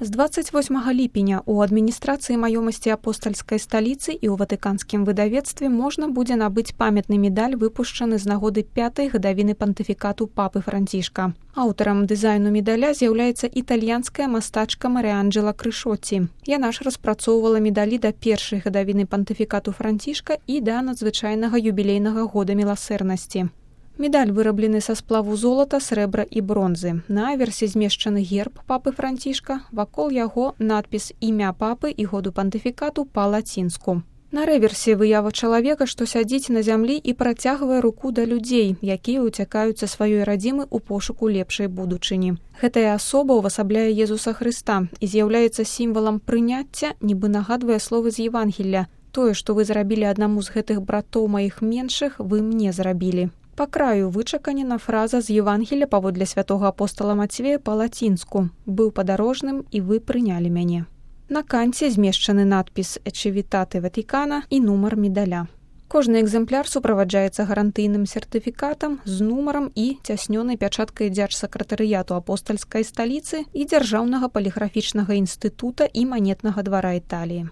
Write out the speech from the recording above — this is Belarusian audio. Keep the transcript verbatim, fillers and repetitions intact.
З дваццаць восьмага ліпеня у адміністрацыі маёмасці апостальскай сталіцы і ў ватыканскім выдавецтве можна будзе набыць памятны медаль, выпушчаны з нагоды пятай гадавіны пантыфікату папы Францішка. Аўтарам дызайну медаля з'яўляецца італьянская мастачка Марыанджэла Крышоці. Яна ж распрацоўвала медалі да першай гадавіны пантыфікату Францішка і да надзвычайнага юбілейнага года міласэрнасці. Медаль выраблены са сплаву золата, срэбра і бронзы. На аверсе змешчаны герб папы Францішка, вакол яго надпіс «Імя папы» і году пантыфікату па-лацінску. На рэверсе выява чалавека, што сядзіць на зямлі і працягвае руку да людзей, якія ўцякаюць са сваёй радзімы ў пошуку лепшай будучыні. Гэтая асоба ўвасабляе Езуса Хрыста і з'яўляецца сімвалам прыняцця, нібы нагадвае словы з Евангелля. Тое, што вы зрабілі аднаму з гэтых братоў маіх меншых, вы мне зрабілі. Па краю вычаканена фраза з Евангелля паводле святога апостала Мацвея па-лацінску «Быў падарожным, і вы прынялі мяне». На канце змешчаны надпіс «Ечевітате Ватикана» і нумар медаля. Кожны экземпляр суправаджаецца гарантыйным сертыфікатам з нумарам і цяснёнай пячаткай дзяржсакратарыяту апостальскай сталіцы і дзяржаўнага паліграфічнага інстытута і манетнага двара Італіі.